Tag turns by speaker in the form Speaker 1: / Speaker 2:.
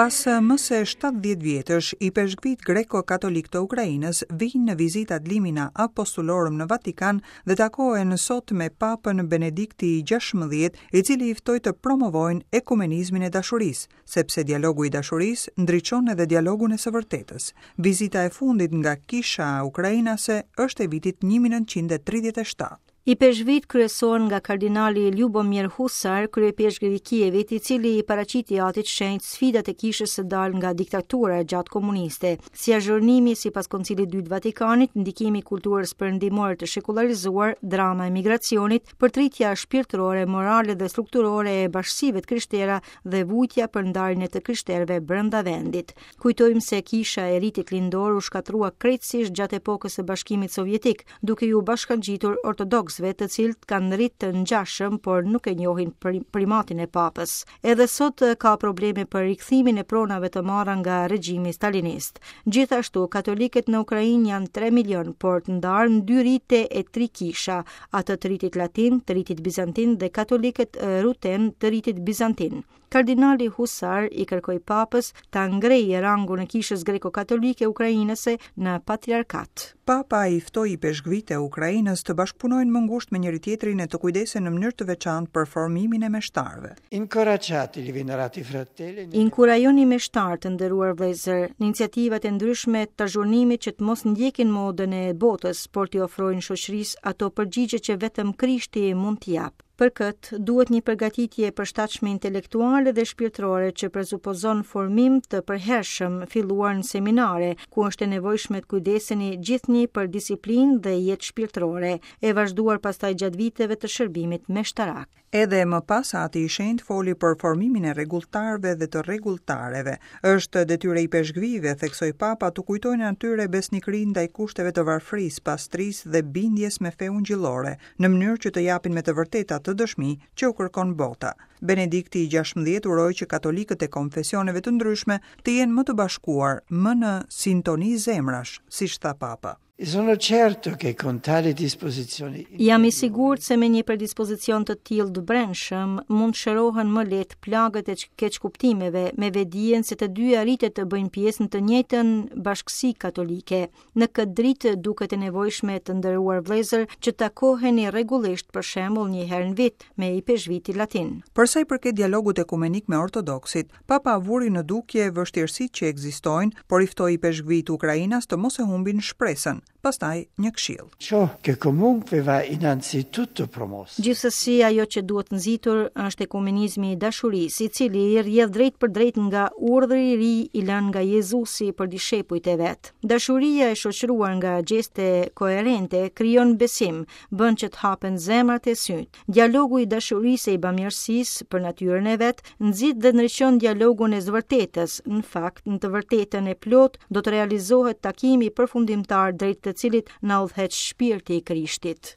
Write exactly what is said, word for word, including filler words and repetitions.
Speaker 1: Pas më se shtatëdhjetë vjetësh, ipeshkvit greko-katolik të Ukrainës vijnë në vizitë ad limina apostolorum në Vatikan dhe takohen sot me Papën Benedikti gjashtëmbëdhjetë, i cili i ftoi të promovojnë ekumenizmin e dashurisë, sepse dialogu i dashurisë ndriçon edhe dialogun e së vërtetës. Vizita e fundit nga kisha ukrainase është e vitit një mijë e nëntëqind e tridhjetë e shtatë.
Speaker 2: Ipeshkvit kryesohen nga kardinali Ljubomir Husar, kryepeshkvi i Kievit, i cili i paraqiti atit shenjt sfidat e kishës së dalë nga diktatura e gjatë komuniste, si azhurnimi sipas Koncilit Dytë Vatikanit, ndikimi i kulturës perëndimore të shekullarizuar, drama e migracionit, përtritja shpirtërore, morale dhe strukturore e bashkësive të krishtera dhe vujtja për ndarjen e të krishterëve brenda vendit. Kujtojmë se kisha e ritit lindor u shkatrua krejtësisht gjatë epokës së Bashkimit Sovjetik, duke ju bashkangjitur ortodoksëve të cilët kanë rit të ngjashëm, por nuk e njohin primatin e papës. Edhe sot ka probleme për rikthimin e pronave të marra nga regjimi stalinist. Gjithashtu, katolikët në Ukrainë janë tre milion, por të ndarë në dy rite e tri kisha, atë të ritit latin, të ritit bizantin dhe katolikët ruten të ritit bizantin. Kardinali Husar i kërkoi papës ta ngrejë rangun e kishës greko-katolike ukrainase në patriarkat.
Speaker 1: Papa i ftoi ipeshkvit e Ukrainës të bashkëpunojnë më ngushtë me njëri tjetrin e të kujdesen në mënyrë të veçantë për formimin e meshtarëve.
Speaker 3: Incoraggiate i venerati fratelli.
Speaker 2: Inkurajoni meshtarë të nderuar vëllezër në iniciativat e ndryshme të azhurnimit që të mos ndjekin modën e botës, por t'i ofrojnë shoqërisë ato përgjigje që vetëm Krishti mund t'i japë. Për këtë, duhet një përgatitje e përshtatshme intelektuale dhe shpirtërore që presupozon formim të përhershëm filluar në seminare, ku është e nevojshme të kujdeseni gjithnjë për disiplinë dhe jetë shpirtërore, e vazhduar pastaj gjatë viteve të shërbimit meshtarak.
Speaker 1: Edhe më pas Ati i Shenjtë foli për formimin e rregulltarëve dhe të rregulltareve. Është detyrë e ipeshkvive, theksoi Papa, të kujtojnë atyre besnikërinë ndaj kushteve të varfërisë, pastrisë dhe bindjes me feun gjillore, në mënyrë që të japin me të vërtetë atë dëshmi që u kërkon bota. Benedikti i gjashtëmbëdhjetë uroi që katolikët e konfesioneve të ndryshme të jenë më të bashkuar, më në sintoni zemrash, siç tha Papa.
Speaker 3: E sono certo che con tale disposizione
Speaker 2: Jam i sigurt se me një predispozicion të tillë të brendshëm mund të shërohen më lehtë plagët e keqkuptimeve me vedijen se të dyja ritet të bëjnë pjesë në të njëjtën bashkësi katolike. Në këtë dritë duket e nevojshme të nderuar vëllezër që takoheni rregullisht, për shembull një herë në vit me ipeshkvitin latin.
Speaker 1: Për sa i përket dialogut ekumenik me ortodoksit, Papa vuri në dukje vështirësitë që ekzistojnë, por i ftoi ipeshkvit ukrainas të mos e humbin shpresën. Pastaj një këshill.
Speaker 3: Ciò che comunque va innanzitutto promosso.
Speaker 2: Gjithsesi, ajo që duhet nxitur është ekumenizmi i dashurisë, i cili rrjedh drejt për drejt nga urdhri i ri i lënë nga Jezusi për dishepujt e vet. Dashuria e shoqëruar nga gjeste koherente krijon besim, bën që të hapen zemrat e syt. Dialogu i dashurisë e i bamirësisë për natyrën e vet nxit dhe ndriçon dialogun e së vërtetës. Në fakt, në të vërtetën e plotë do të realizohet takimi përfundimtar drejt të cilit na udhëheq shpirti i Krishtit.